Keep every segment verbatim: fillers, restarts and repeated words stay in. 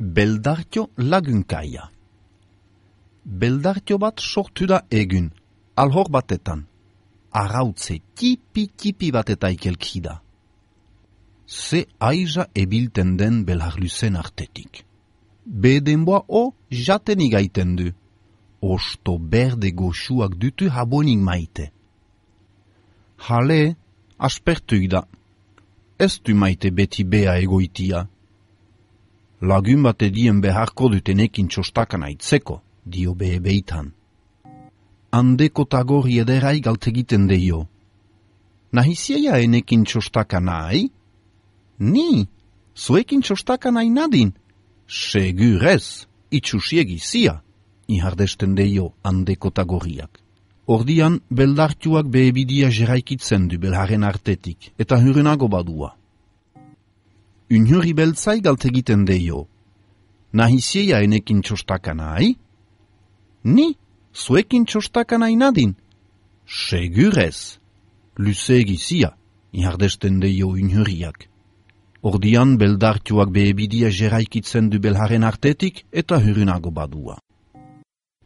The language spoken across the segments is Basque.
Beldartio lagunkaia. Beldartio bat sortu da egun, alhor batetan. Arautze tipi-tipi batetaik elkida. Ze aiza ebilten den belarluzen artetik. Bedenboa o jaten igaiten du. Osto berde goxuak dutu habonik maite. Hale, aspertuik da. Ez du maite beti bea egoitia. Lagun bat edien beharko dutenekin txostakan aitzeko, dio behe beitan. Handeko tagori ederai galtegiten deio. Nahizieia enekin txostakan nahi? Ni, zuekin txostakan nahi nadin? Segurez, itxusiegi zia, ihardesten deio handeko tagoriak. Ordian, beldartuak behebidia jeraikitzen du belharen artetik, eta hurenago badua. Unhuri beltzai galtegiten deio. Nahizieia enekin txostakan nahi? Ni, zuekin txostakan nahi nadin? Segurez, luzeegi zia, ihardesten deio unhuriak. Ordian, beldartuak behebidia jeraikitzen du belharen artetik, eta hurenago badua.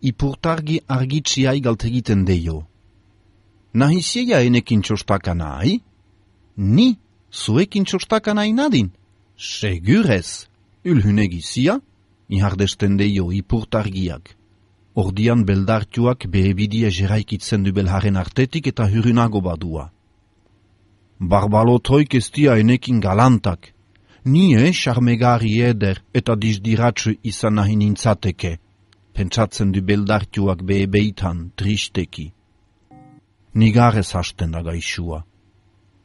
Ipurtargi argitziai galtegiten deio. Nahizieia enekin txostakan nahi? Ni, zuekin txostakan nahi nadin? Segurez, ulhunegi zia, ihardesten deio ipurtargiak. Ordian beldartuak behebidia jeraikitzen du belharen artetik eta hurunago badua. Barbalotoik ez dia enekin galantak. Nie charmegari eder eta dizdiratsu izan nahi nintzateke, pentsatzen du beldartuak behebeitan tristeki. Nigarez hasten da gaixua.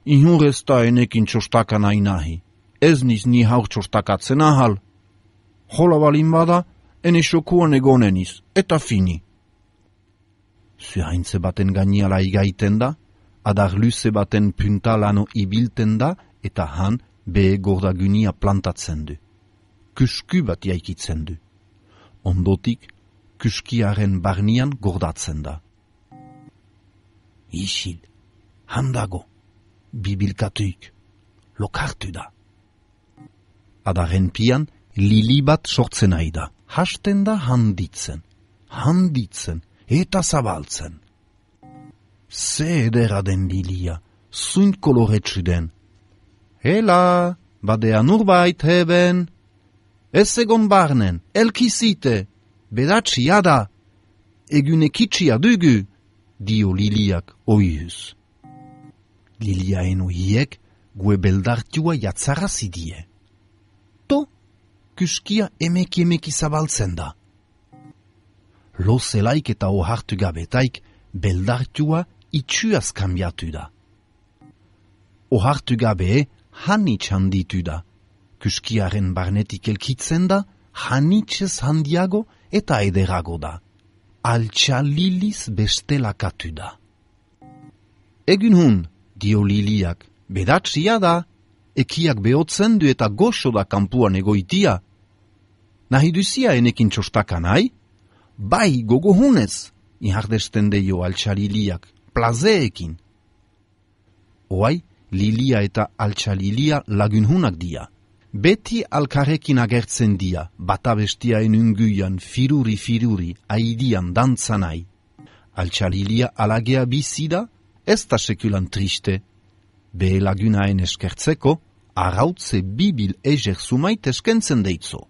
Ihurez da enekin txostakan nahi nahi. Ez niz ni haur txostakatzen ahal. Jola balin bada, ene xokuan egoneniz, eta fini. Zuhaintze baten gainiala igaiten da, adar luze baten puntalano ibilten da, eta han behe gordagunia plantatzen du. Kusku bat jaikitzen du. Ondotik, kuskiaren barnian gordatzen da. Isil, handago, bibilkatuik, lokartu da. Adaren pian, lili bat sortzen nahi da. Hasten da handitzen, handitzen, eta zabaltzen. Ze edera den lilia, zuint koloretsu den. Hela, badea nurbait heben. Ez egon barnen, elkizite, bedatxia da. Egunekitxia dugu, dio liliak oihuz. Liliaen ohiek, gue beldartua jatzarrazidie. Kuskia emeki emeki zabaltzen da. Lo zelaik eta ohartu gabetaik beldartua itxuaz kambiatu da. Ohartu gabe hanitz handitu da. Kuskiaren barnetik elkitzen da, hanitzez handiago eta ederago da. Altxa liliz bestelakatu da. Egun hun, dio liliak, bedatxia da, ekiak behotzen du eta goxo da kanpuan egoitia. Nahi duzia enekin txostakan nahi? Bai, gogo hunez, ihardesten deio altxa liliak, plazeekin. Oai, lilia eta altxa lilia lagun hunak dia. Beti alkarrekin agertzen dia, bata bestiaen unguian, firuri-firuri, aidian dantzanai. Altxa lilia alagea bizida, ez da sekulan triste. Behe lagunaen eskertzeko, arautze bibil ejer sumait eskentzen deitzo.